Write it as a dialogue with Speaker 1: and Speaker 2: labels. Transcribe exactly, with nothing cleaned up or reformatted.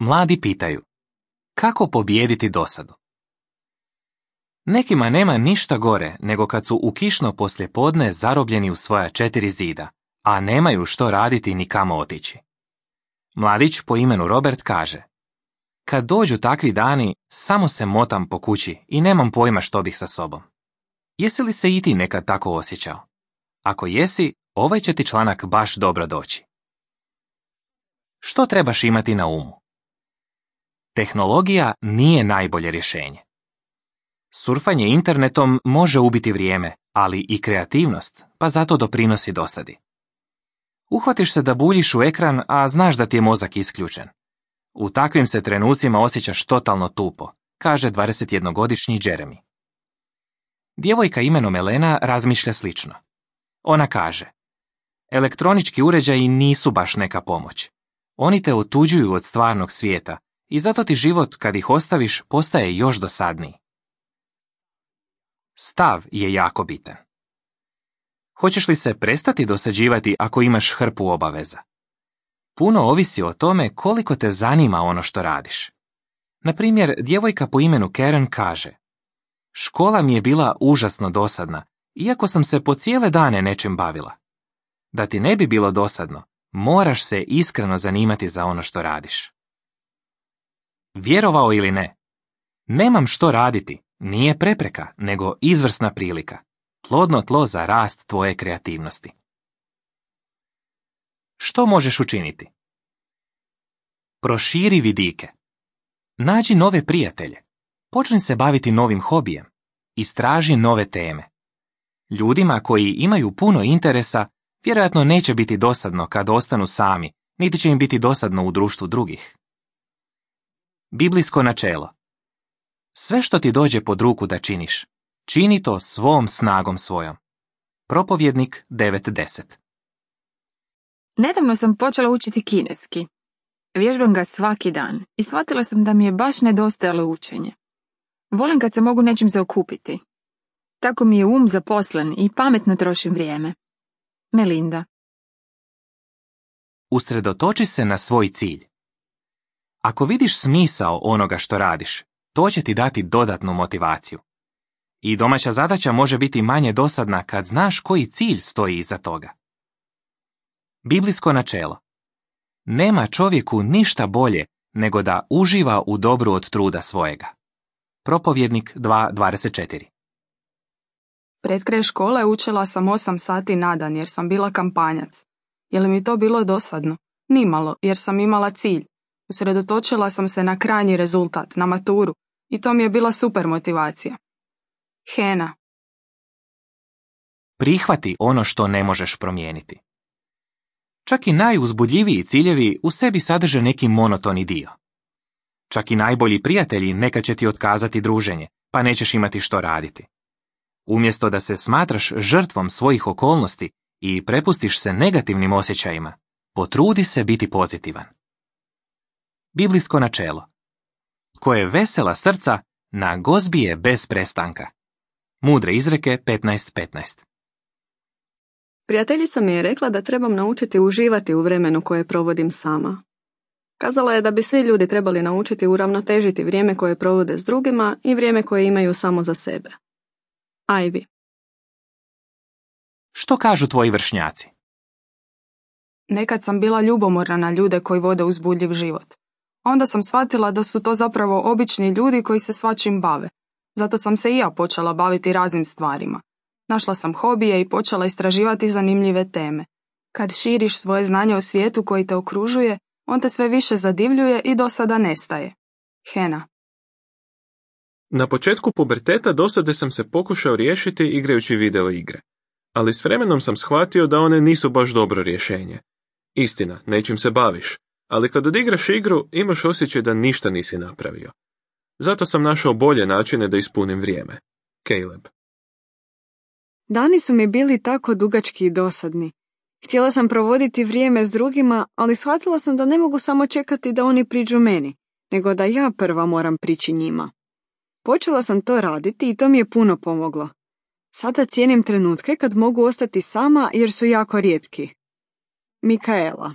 Speaker 1: Mladi pitaju, kako pobijediti dosadu? Nekima nema ništa gore nego kad su u kišno poslijepodne zarobljeni u svoja četiri zida, a nemaju što raditi ni kamo otići. Mladić po imenu Robert kaže, kad dođu takvi dani, samo se motam po kući i nemam pojma što bih sa sobom. Jesi li se i ti nekad tako osjećao? Ako jesi, ovaj će ti članak baš dobro doći. Što trebaš imati na umu? Tehnologija nije najbolje rješenje. Surfanje internetom može ubiti vrijeme, ali i kreativnost, pa zato doprinosi dosadi. Uhvatiš se da buljiš u ekran, a znaš da ti je mozak isključen. U takvim se trenucima osjećaš totalno tupo, kaže dvadesetjednogodišnji Jeremy. Djevojka imenom Elena razmišlja slično. Ona kaže, elektronički uređaji nisu baš neka pomoć. Oni te otuđuju od stvarnog svijeta i zato ti život, kad ih ostaviš, postaje još dosadniji. Stav je jako bitan. Hoćeš li se prestati dosađivati ako imaš hrpu obaveza? Puno ovisi o tome koliko te zanima ono što radiš. Na primjer, djevojka po imenu Karen kaže, škola mi je bila užasno dosadna, iako sam se po cijele dane nečim bavila. Da ti ne bi bilo dosadno, moraš se iskreno zanimati za ono što radiš. Vjerovao ili ne? Nemam što raditi, nije prepreka, nego izvrsna prilika. Plodno tlo za rast tvoje kreativnosti. Što možeš učiniti? Proširi vidike. Nađi nove prijatelje. Počni se baviti novim hobijem. Istraži nove teme. Ljudima koji imaju puno interesa, vjerojatno neće biti dosadno kad ostanu sami, niti će im biti dosadno u društvu drugih. Biblijsko načelo. Sve što ti dođe pod ruku da činiš, čini to svom snagom svojom. Propovjednik devet deset.
Speaker 2: Nedavno sam počela učiti kineski. Vježbam ga svaki dan i shvatila sam da mi je baš nedostajalo učenje. Volim kad se mogu nečim zaokupiti. Tako mi je um zaposlen i pametno trošim vrijeme. Melinda.
Speaker 1: Usredotoči se na svoj cilj. Ako vidiš smisao onoga što radiš, to će ti dati dodatnu motivaciju. I domaća zadaća može biti manje dosadna kad znaš koji cilj stoji iza toga. Biblijsko načelo. Nema čovjeku ništa bolje nego da uživa u dobru od truda svojega. Propovjednik dva dvadeset četiri.
Speaker 3: Pred kraj škole učila sam osam sati na dan jer sam bila kampanjac. Je li mi to bilo dosadno? Nimalo, jer sam imala cilj. Usredotočila sam se na krajnji rezultat, na maturu, i to mi je bila super motivacija. Hena.
Speaker 1: Prihvati ono što ne možeš promijeniti. Čak i najuzbudljiviji ciljevi u sebi sadrže neki monotoni dio. Čak i najbolji prijatelji nekad će ti otkazati druženje, pa nećeš imati što raditi. Umjesto da se smatraš žrtvom svojih okolnosti i prepustiš se negativnim osjećajima, potrudi se biti pozitivan. Biblijsko načelo. Tko je vesela srca, na gozbi je bez prestanka. Mudre izreke petnaest petnaest.
Speaker 4: Prijateljica mi je rekla da trebam naučiti uživati u vremenu koje provodim sama. Kazala je da bi svi ljudi trebali naučiti uravnotežiti vrijeme koje provode s drugima i vrijeme koje imaju samo za sebe. Ivy.
Speaker 1: Što kažu tvoji vršnjaci?
Speaker 3: Nekad sam bila ljubomorna na ljude koji vode uzbudljiv život. Onda sam shvatila da su to zapravo obični ljudi koji se svačim bave. Zato sam se i ja počela baviti raznim stvarima. Našla sam hobije i počela istraživati zanimljive teme. Kad širiš svoje znanje o svijetu koji te okružuje, on te sve više zadivljuje i dosada nestaje. Hena.
Speaker 5: Na početku puberteta dosade sam se pokušao riješiti igrajući video igre. Ali s vremenom sam shvatio da one nisu baš dobro rješenje. Istina, nečim se baviš, ali kad odigraš igru imaš osjećaj da ništa nisi napravio. Zato sam našao bolje načine da ispunim vrijeme. Caleb.
Speaker 6: Dani su mi bili tako dugački i dosadni. Htjela sam provoditi vrijeme s drugima, ali shvatila sam da ne mogu samo čekati da oni priđu meni, nego da ja prva moram prići njima. Počela sam to raditi i to mi je puno pomoglo. Sada cijenim trenutke kad mogu ostati sama jer su jako rijetki. Mikaela.